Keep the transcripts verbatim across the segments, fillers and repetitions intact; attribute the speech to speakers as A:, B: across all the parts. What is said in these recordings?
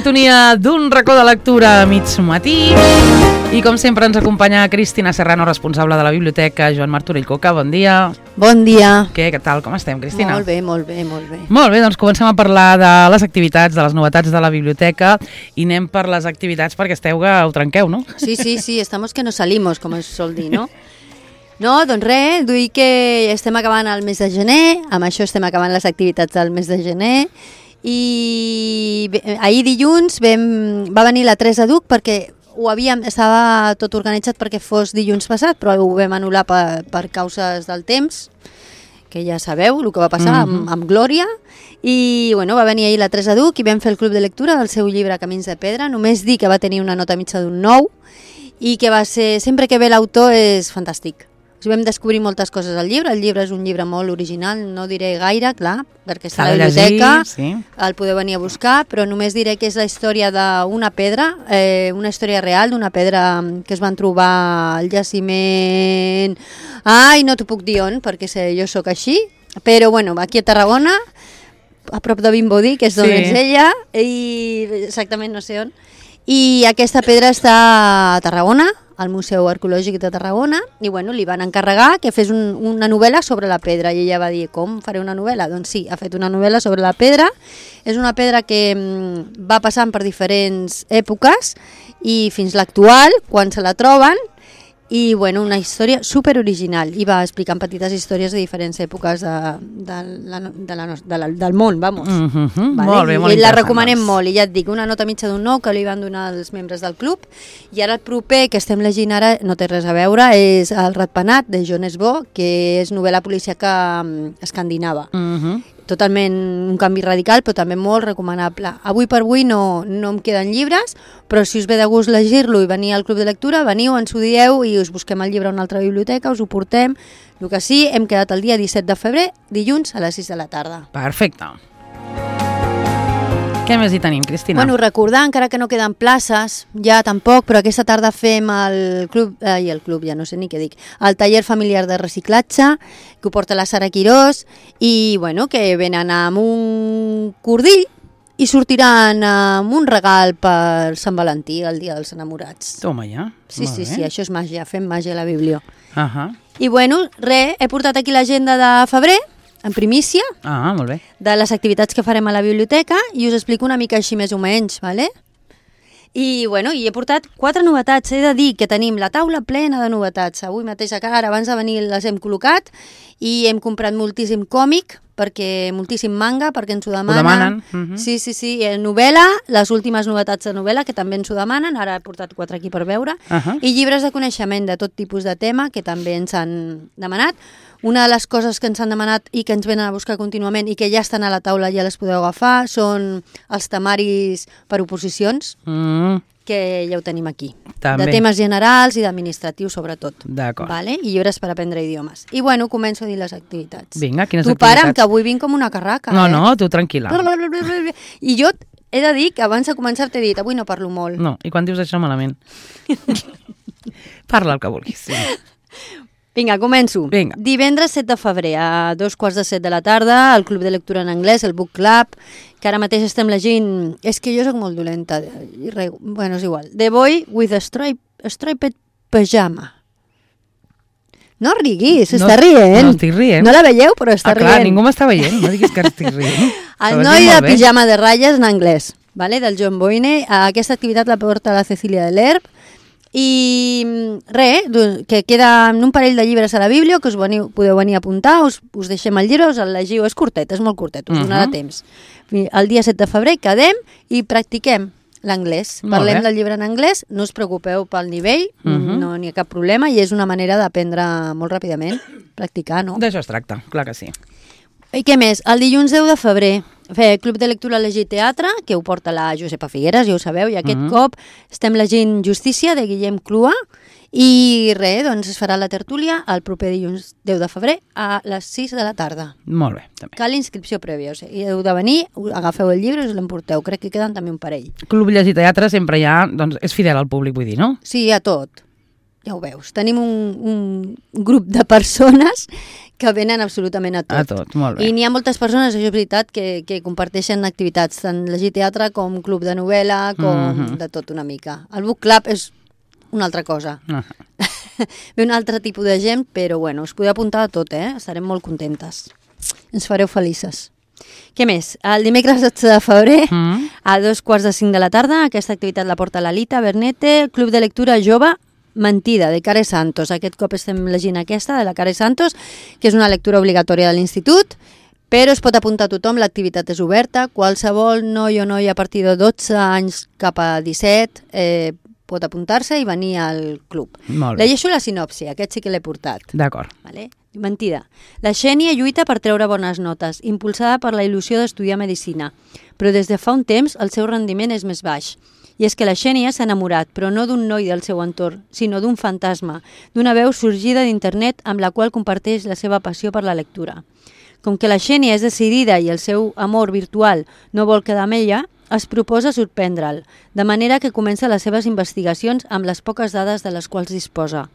A: sintonia d'un racó de lectura a mig matí. I com sempre ens acompanya Cristina Serrano, responsable de la biblioteca, Joan Martorell Coca. Bon dia.
B: Bon dia.
A: Què, què tal? Com estem, Cristina?
B: Molt bé, molt bé, molt bé.
A: Molt bé, doncs comencem a parlar de les activitats, de les novetats de la biblioteca i anem per les activitats perquè esteu que ho trenqueu, no?
B: Sí, sí, sí, estamos que no salimos, com es sol dir, no? No, doncs res, vull que estem acabant el mes de gener, amb això estem acabant les activitats del mes de gener i ahir dilluns vam, va venir la Teresa Duc perquè ho havíem, estava tot organitzat perquè fos dilluns passat, però ho vam anul·lar per, per causes del temps, que ja sabeu el que va passar mm-hmm. amb, amb Glòria, i bueno, va venir ahir la Teresa Duc i vam fer el club de lectura del seu llibre Camins de Pedra. Només dir que va tenir una nota mitja d'un nou i que va ser, sempre que ve l'autor és fantàstic. O sigui, vam descobrir moltes coses al llibre. El llibre és un llibre molt original, no diré gaire, clar, perquè està a la biblioteca, llegir, sí. El podeu venir a buscar, però només diré que és la història d'una pedra, eh, una història real d'una pedra que es van trobar al jaciment... Ai, no t'ho puc dir on, perquè sé, jo sóc així, però bueno, aquí a Tarragona, a prop de Vimbodí, que és d'on sí. És ella, i exactament no sé on, i aquesta pedra està a Tarragona, al Museu Arqueològic de Tarragona, i bueno, li van encarregar que fes un, una novel·la sobre la pedra, i ella va dir, com faré una novel·la? Doncs sí, ha fet una novel·la sobre la pedra. És una pedra que mm, va passant per diferents èpoques i fins l'actual, quan se la troben, i bueno, una història super original, i va explicant petites històries de diferents èpoques de, de la, de la, de la, del món, vamos.
A: Mm-hmm.
B: Vale?
A: Molt bé, molt
B: I la
A: interessant.
B: recomanem molt, i ja et dic, una nota mitja d'un nou que li van donar els membres del club, i ara el proper que estem llegint ara, no té res a veure, és El ratpenat, de Jon Esbo, que és novel·la policíaca escandinava. Mm-hmm. Totalment un canvi radical, però també molt recomanable. Avui per avui no, no em queden llibres, però si us ve de gust llegir-lo i venir al club de lectura, veniu, ens ho dieu i us busquem el llibre a una altra biblioteca, us ho portem. El que sí, hem quedat el dia disset de febrer, dilluns a les sis de la tarda.
A: Perfecte. Què més hi tenim, Cristina?
B: Bueno, recordar, encara que no queden places, ja tampoc, però aquesta tarda fem el club, eh, i el club, ja no sé ni què dic, el taller familiar de reciclatge, que ho porta la Sara Quirós, i bueno, que venen amb un cordill i sortiran amb un regal per Sant Valentí, el dia dels enamorats.
A: Toma ja.
B: Sí, sí, sí, això és màgia, fem màgia a la biblio.
A: Uh-huh.
B: I bueno, res, he portat aquí l'agenda de febrer, en primícia,
A: ah, molt bé.
B: De les activitats que farem a la biblioteca, i us explico una mica així més o menys, ¿vale? I bueno, i he portat quatre novetats. He de dir que tenim la taula plena de novetats. Avui mateix a cara, abans de venir, les hem col·locat i hem comprat moltíssim còmic, perquè moltíssim manga, perquè ens ho demanen.
A: Ho demanen. Uh-huh.
B: Sí, sí, sí. Eh, novel·la, les últimes novetats de novel·la, que també ens ho demanen. Ara he portat quatre aquí per veure. Uh-huh. I llibres de coneixement de tot tipus de tema, que també ens han demanat. Una de les coses que ens han demanat i que ens venen a buscar contínuament i que ja estan a la taula, ja les podeu agafar, són els temaris per oposicions, mm. que ja ho tenim aquí. També. De temes generals i d'administratius, sobretot.
A: D'acord.
B: Vale? I llibres per aprendre idiomes. I bueno, començo a dir les activitats.
A: Vinga, quines
B: tu
A: activitats?
B: Tu para'm, que avui vinc com una carraca.
A: No,
B: eh?
A: no, tu tranquil·la.
B: I jo he de dir que abans de començar t'he dit, avui no parlo molt.
A: No, i quan dius això malament? Parla el que vulguis. Sí.
B: Vinga, començo.
A: Vinga.
B: Divendres set de febrer, a dos quarts de set de la tarda, al Club de Lectura en Anglès, el Book Club, que ara mateix estem llegint... És que jo soc molt dolenta. Bueno, és igual. The Boy with a, stripe, a Striped Pajama. No riguis, no, està rient.
A: No estic rient.
B: No la veieu, però està
A: ah, clar,
B: rient.
A: Ningú m'està veient, no diguis que estic rient.
B: El noi de pijama de ratlles en anglès, vale? Del John Boyne. Aquesta activitat la porta la Cecília de l'Herb. I res, que queda un parell de llibres a la Bíblia, que us veniu, podeu venir a apuntar, us, us deixem el llibre, us el llegiu, és curtet, és molt curtet, us uh-huh. donarà temps. El dia set de febrer quedem i practiquem l'anglès. Parlem del llibre en anglès, no us preocupeu pel nivell, uh-huh. no n'hi ha cap problema, i és una manera d'aprendre molt ràpidament, practicar, no?
A: D'això es tracta, clar que sí.
B: I què més? El dilluns deu de febrer, fer Club de Lectura Llegir Teatre, que ho porta la Josepa Figueres, ja ho sabeu, i aquest uh-huh. cop estem llegint Justícia, de Guillem Clua, i res, doncs es farà la tertúlia el proper dilluns deu de febrer a les sis de la tarda.
A: Molt bé, també.
B: Cal inscripció prèvia, o sigui, heu de venir, agafeu el llibre i us l'emporteu, crec que queden també un parell.
A: Club Llegir Teatre sempre ja, doncs, és fidel al públic, vull dir, no?
B: Sí, a tot. ja ho veus, tenim un, un grup de persones que venen absolutament a tot.
A: A tot, molt bé.
B: I n'hi ha moltes persones, això és veritat, que, que comparteixen activitats, tant llegir teatre com club de novel·la, com mm-hmm. de tot una mica. El book club és una altra cosa. Uh-huh. Ve un altre tipus de gent, però bueno, us podeu apuntar a tot, eh? Estarem molt contentes. Ens fareu felices. Què més? El dimecres dotze de febrer, mm. a dos quarts de cinc de la tarda, aquesta activitat la porta l'Alita Bernete, Club de Lectura Jove Mentida, de Care Santos. Aquest cop estem llegint aquesta, de la Care Santos, que és una lectura obligatòria de l'institut, però es pot apuntar a tothom, l'activitat és oberta, qualsevol noi o noia a partir de dotze anys cap a disset eh, pot apuntar-se i venir al club. Llegeixo la sinopsi, aquest sí que l'he portat.
A: D'acord.
B: Vale? Mentida. La Xènia lluita per treure bones notes, impulsada per la il·lusió d'estudiar medicina, però des de fa un temps el seu rendiment és més baix. I és que la Xènia s'ha enamorat, però no d'un noi del seu entorn, sinó d'un fantasma, d'una veu sorgida d'internet amb la qual comparteix la seva passió per la lectura. Com que la Xènia és decidida i el seu amor virtual no vol quedar amb ella, es proposa sorprendre'l, de manera que comença les seves investigacions amb les poques dades de les quals disposa.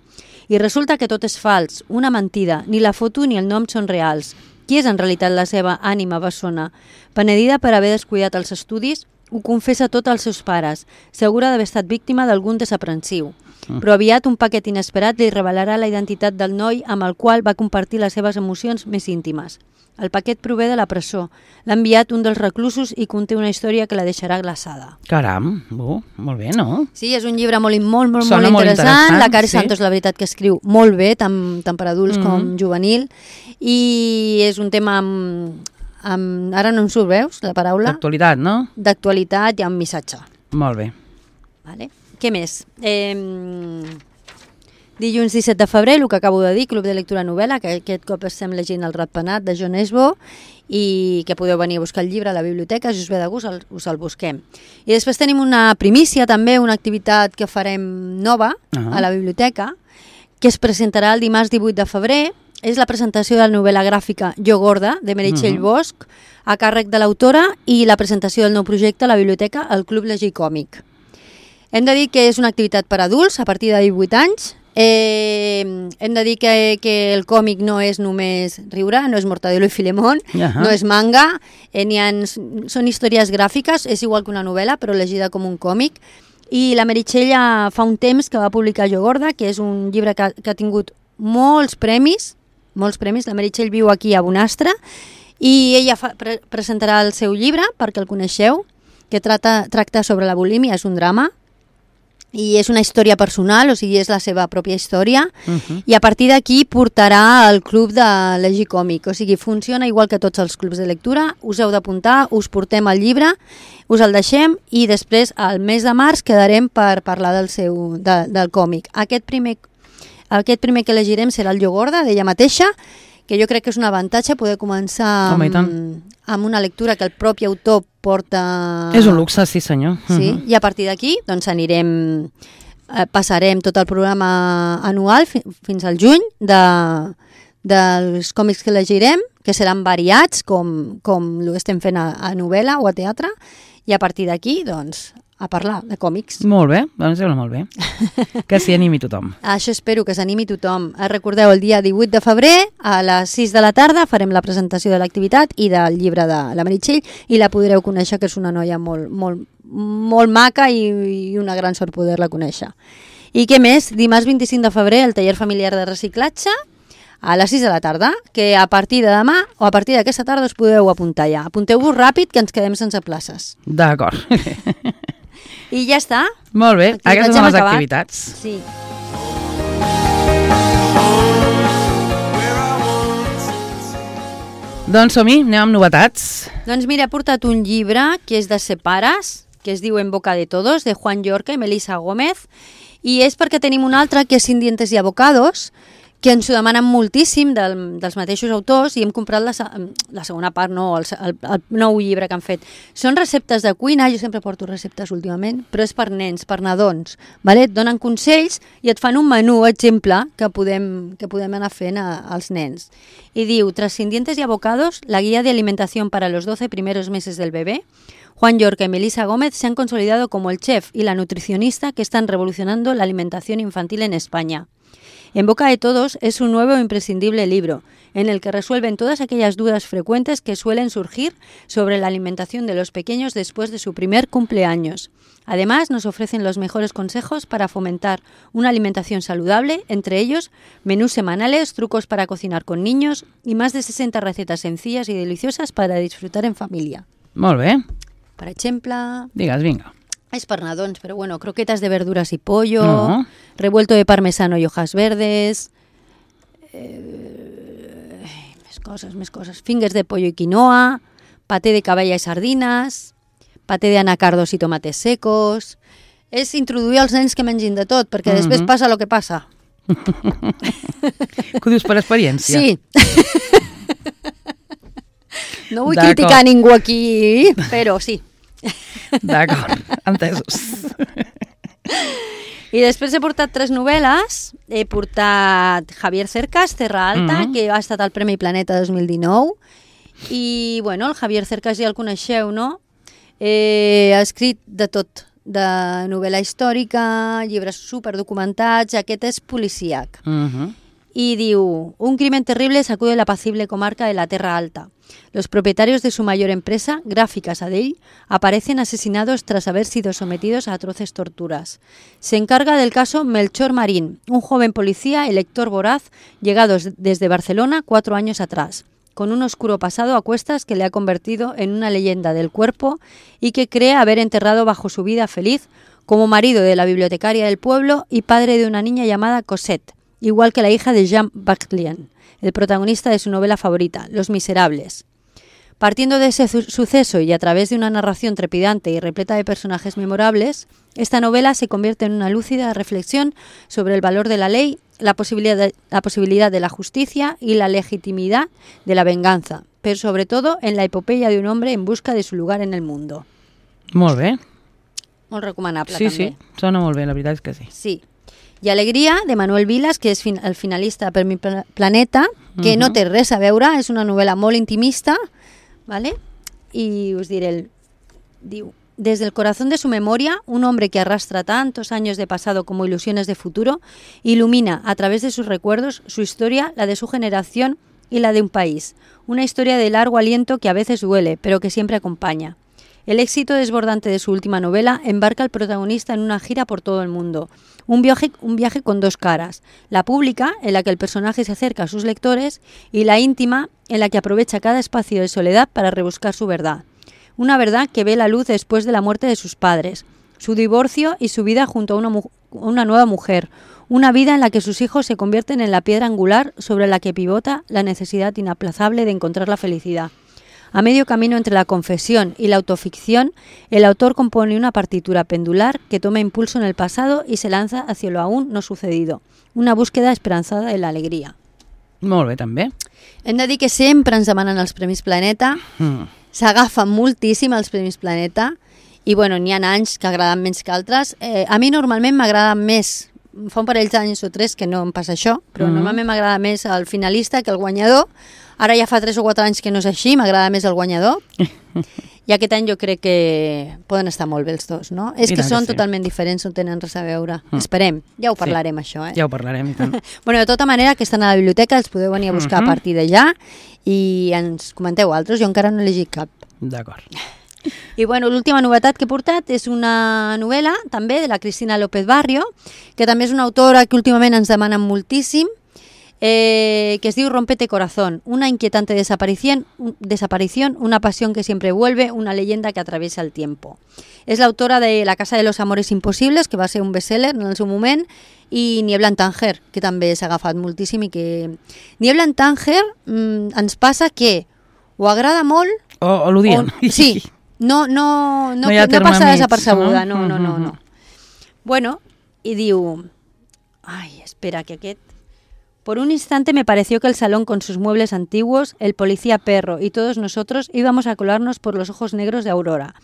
B: I resulta que tot és fals, una mentida, ni la foto ni el nom són reals. Qui és en realitat la seva ànima bessona? Penedida per haver descuidat els estudis, ho confessa tot als seus pares, segura d'haver estat víctima d'algun desaprensiu. Però aviat un paquet inesperat li revelarà la identitat del noi amb el qual va compartir les seves emocions més íntimes. El paquet prové de la presó. L'ha enviat un dels reclusos i conté una història que la deixarà glaçada.
A: Caram, uh, molt bé, no?
B: Sí, és un llibre molt, molt, molt,
A: Sona
B: molt
A: molt
B: interessant.
A: interessant.
B: La Care
A: Sí.
B: Santos, la veritat, que escriu molt bé, tant, tant per adults
A: Mhm.
B: com juvenil, i és un tema amb, amb ara no em surt, veus, la paraula?
A: D'actualitat, no?
B: D'actualitat i amb missatge.
A: Molt bé.
B: Vale. Què més? Eh, dilluns disset de febrer, el que acabo de dir, Club de Lectura Novel·la, que aquest cop estem llegint El Ratpenat de Jon Esbo, i que podeu venir a buscar el llibre a la biblioteca, si us ve de gust el, us el busquem. I després tenim una primícia també, una activitat que farem nova
A: Uh-huh.
B: a la biblioteca, que es presentarà el dimarts divuit de febrer. És la presentació de la novel·la gràfica Jo Gorda, de Meritxell
A: Uh-huh.
B: Bosch, a càrrec de l'autora, i la presentació del nou projecte a la biblioteca, el Club Llegir Còmic. Hem de dir que és una activitat per adults a partir de divuit anys. Eh, hem de dir que, que el còmic no és només riure, no és Mortadelo i Filemón,
A: Ahà.
B: no és manga, eh, n'hi ha, són històries gràfiques, és igual que una novel·la, però llegida com un còmic. I la Meritxell ja fa un temps que va publicar Jo Gorda, que és un llibre que, que ha tingut molts premis, molts premis. La Meritxell viu aquí a Bonastre, i ella fa, pre presentarà el seu llibre, perquè el coneixeu, que tracta, tracta sobre la bulímia, és un drama, i és una història personal, o sigui, és la seva pròpia història,
A: Uh-huh.
B: i a partir d'aquí portarà al club de llegir còmic, o sigui, funciona igual que tots els clubs de lectura, us heu d'apuntar, us portem el llibre, us el deixem, i després al mes de març quedarem per parlar del seu de, del còmic. Aquest primer, aquest primer que llegirem serà el Jo Gorda, d'ella mateixa, que jo crec que és un avantatge poder començar
A: Home, i tant.
B: amb, amb una lectura que el propi autor porta...
A: És un luxe, sí senyor.
B: Sí,
A: Uh-huh.
B: i a partir d'aquí doncs anirem, eh, passarem tot el programa anual fi, fins al juny de, dels còmics que llegirem, que seran variats, com, com ho estem fent a, a novel·la o a teatre, i a partir d'aquí, doncs, a parlar de còmics.
A: Molt bé, doncs sembla molt bé. Que s'hi animi tothom.
B: Això espero que s'animi tothom. Eh, Recordeu, el dia divuit de febrer, a les sis de la tarda, farem la presentació de l'activitat i del llibre de la Meritxell, i la podreu conèixer, que és una noia molt, molt, molt maca, i, i una gran sort poder-la conèixer. I què més? Dimarts vint-i-cinc de febrer, el taller familiar de reciclatge, a les sis de la tarda, que a partir de demà o a partir d'aquesta tarda us podeu apuntar ja. Apunteu-vos ràpid, que ens quedem sense places.
A: D'acord.
B: I ja està.
A: Molt bé,
B: Activitats
A: aquestes
B: hem
A: són les
B: acabat.
A: activitats.
B: Sí.
A: Doncs som-hi, anem amb novetats.
B: Doncs mira, he portat un llibre que és de Separas, que es diu En boca de todos, de Juan Llorca i Melissa Gómez, i és perquè tenim un altre que és Sin dientes y abocados, que ens ho demanen moltíssim del, dels mateixos autors i hem comprat la, la segona part, no, el, el, el nou llibre que han fet. Són receptes de cuina, jo sempre porto receptes últimament, però és per nens, per nadons, vale? Et donen consells i et fan un menú, exemple, que podem, que podem anar fent a, als nens. I diu, tras Dientes y Abocados, la guía de alimentación para los doce primeros meses del bebé, Juan Yorca y Melissa Gómez se han consolidado como el chef y la nutricionista que están revolucionando la alimentación infantil en España. En boca de todos es un nuevo e imprescindible libro, en el que resuelven todas aquellas dudas frecuentes que suelen surgir sobre la alimentación de los pequeños después de su primer cumpleaños. Además, nos ofrecen los mejores consejos para fomentar una alimentación saludable, entre ellos menús semanales, trucos para cocinar con niños y más de sesenta recetas sencillas y deliciosas para disfrutar en familia.
A: Molt bé.
B: Per exemple...
A: Digues, vinga.
B: Es para nadons, pero bueno, croquetas de verduras y pollo,
A: No.
B: revuelto de parmesano y hojas verdes, eh, més coses, més coses, fingers de pollo y quinoa, paté de caballa y sardinas, paté de anacardos y tomates secos... És introduir als nens que mengin de tot, perquè
A: Mm-hmm.
B: després passa el que passa.
A: Que ho dius per experiència?
B: Sí. No vull
A: D'acord.
B: criticar a ningú aquí, però sí.
A: D'acord, entesos.
B: I després he portat tres novel·les. He portat Javier Cercas, Terra Alta,
A: Mhm.
B: que ha estat al Premi Planeta dos mil dinou. I, bueno, el Javier Cercas ja el coneixeu, no? Eh, ha escrit de tot, de novel·la històrica, llibres superdocumentats, aquest és policíac.
A: Mhm.
B: Y diu, un crimen terrible sacude la apacible comarca de la Terra Alta. Los propietarios de su mayor empresa, Gráficas Adell, aparecen asesinados tras haber sido sometidos a atroces torturas. Se encarga del caso Melchor Marín, un joven policía elector voraz llegado desde Barcelona cuatro años atrás, con un oscuro pasado a cuestas que le ha convertido en una leyenda del cuerpo y que cree haber enterrado bajo su vida feliz como marido de la bibliotecaria del pueblo y padre de una niña llamada Cosette, igual que la hija de Jean Baclien, el protagonista de su novela favorita, Los Miserables. Partiendo de ese su- suceso y a través de una narración trepidante y repleta de personajes memorables, esta novela se convierte en una lúcida reflexión sobre el valor de la ley, la posibilidad de la, posibilidad de la justicia y la legitimidad de la venganza, pero sobre todo en la epopeya de un hombre en busca de su lugar en el mundo.
A: Molt bé.
B: Molt recomanable,
A: Sí,
B: també.
A: sí, sona molt bé, la veritat és que sí.
B: Sí. I Alegria, de Manuel Vilas, que és fin el finalista per mi Pla- Planeta, que uh -huh. no té res a veure, és una novel·la molt intimista, ¿vale? Y us diré, el, diu, desde el corazón de su memoria, un hombre que arrastra tantos años de pasado como ilusiones de futuro, ilumina a través de sus recuerdos su historia, la de su generación y la de un país. Una historia de largo aliento que a veces duele, pero que siempre acompaña. El éxito desbordante de su última novela embarca al protagonista en una gira por todo el mundo. Un viaje, un viaje con dos caras. La pública, en la que el personaje se acerca a sus lectores, y la íntima, en la que aprovecha cada espacio de soledad para rebuscar su verdad. Una verdad que ve la luz después de la muerte de sus padres, su divorcio y su vida junto a una, mu- una nueva mujer. Una vida en la que sus hijos se convierten en la piedra angular sobre la que pivota la necesidad inaplazable de encontrar la felicidad. A medio camino entre la confesión y la autoficción, el autor compone una partitura pendular que toma impulso en el pasado y se lanza hacia lo aún no sucedido. Una búsqueda esperanzada de la alegría.
A: Molt bé, també.
B: Hem de dir que sempre ens demanen els Premis Planeta,
A: Mm.
B: s'agafen moltíssim els Premis Planeta i bueno, n'hi ha anys que agraden menys que altres. Eh, a mi normalment m'agrada més, fa un parell d'anys o tres que no em passa això, però
A: Mhm.
B: normalment m'agrada més el finalista que el guanyador. Ara ja fa tres o quatre anys que no és així, m'agrada més el guanyador. I aquest any jo crec que poden estar molt bé els dos, no? És
A: I
B: que
A: tant que
B: són
A: sí.
B: totalment diferents, no tenen res a veure.
A: Mm.
B: Esperem, ja ho
A: Sí.
B: parlarem això, eh?
A: Ja ho parlarem, i tant.
B: Bueno, de tota manera, que estan a la biblioteca, els podeu venir a buscar
A: Mhm.
B: a partir d'allà i ens comenteu altres, jo encara no he llegit cap.
A: D'acord.
B: I bueno, l'última novetat que he portat és una novel·la també de la Cristina López Barrio, que també és una autora que últimament ens demanen moltíssim, eh, que es diu Rompete Corazón, una inquietante desaparición, un- desaparición, una pasión que siempre vuelve, una leyenda que atraviesa el tiempo. És l'autora de La casa de los amores imposibles, que va ser un bestseller en el seu moment, i Niebla en Tánger, que també s'ha agafat moltíssim i que... Niebla en Tánger mm, ens passa que o agrada molt
A: O, o l'odien.
B: o- sí, no, no, no,
A: No hi ha
B: no
A: terme
B: passa
A: mig,
B: desapercebuda,
A: no?
B: no, no, no,
A: Mhm.
B: no. Bueno, i diu... Ai, espera, que aquest... Por un instante me pareció que el salón con sus muebles antiguos, el policía perro y todos nosotros íbamos a colarnos por los ojos negros de Aurora.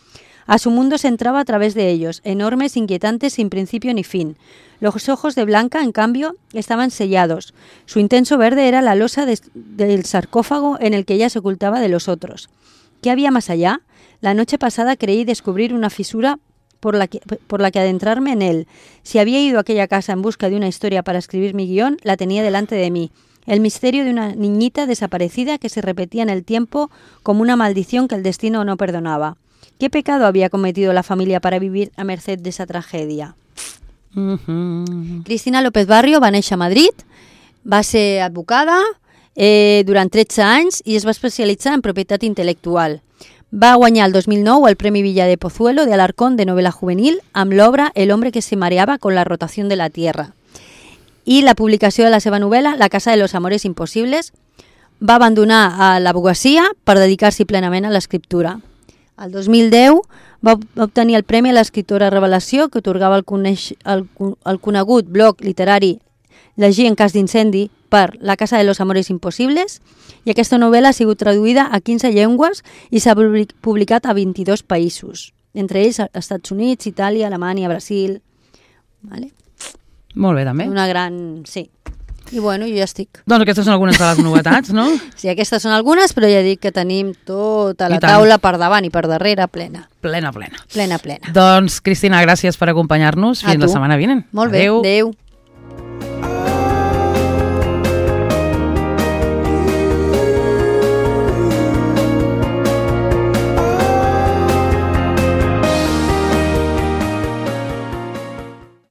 B: A su mundo se entraba a través de ellos, enormes, inquietantes, sin principio ni fin. Los ojos de Blanca, en cambio, estaban sellados. Su intenso verde era la losa de, del sarcófago en el que ella se ocultaba de los otros. ¿Qué había más allá? La noche pasada creí descubrir una fisura por la que, por la que adentrarme en él. Si había ido a aquella casa en busca de una historia para escribir mi guión, la tenía delante de mí. El misterio de una niñita desaparecida que se repetía en el tiempo como una maldición que el destino no perdonaba. ¿Qué pecado había cometido la familia para vivir a merced de esa tragedia? Uh-huh. Cristina López Barrio va néixer a Madrid, va ser advocada eh, durant tretze anys i es va especialitzar en propietat intel·lectual. Va guanyar el dos mil nou el Premi Villa de Pozuelo de Alarcón de novel·la juvenil amb l'obra El hombre que se mareaba con la rotación de la tierra. I la publicació de la seva novel·la La casa de los amores imposibles. Va abandonar l'advocacia per dedicar-s'hi plenament a l'escriptura. El dos mil deu va obtenir el Premi a l'Escriptora Revelació que atorgava el, coneix, el, el conegut blog literari Llegir en cas d'incendi per La casa de los amores imposibles, i aquesta novel·la ha sigut traduïda a quinze llengües i s'ha publicat a vint-i-dos països, entre ells Estats Units, Itàlia, Alemanya, Brasil. Vale?
A: Molt bé, també.
B: Una gran... sí. I bueno, jo ja estic.
A: Doncs aquestes són algunes de les novetats, no?
B: Sí, aquestes són algunes, però ja dic que tenim tota la taula per davant i per darrere plena.
A: Plena, plena.
B: Plena, plena.
A: Doncs, Cristina, gràcies per acompanyar-nos. Fins la setmana vinent.
B: Molt bé, adéu. Adéu.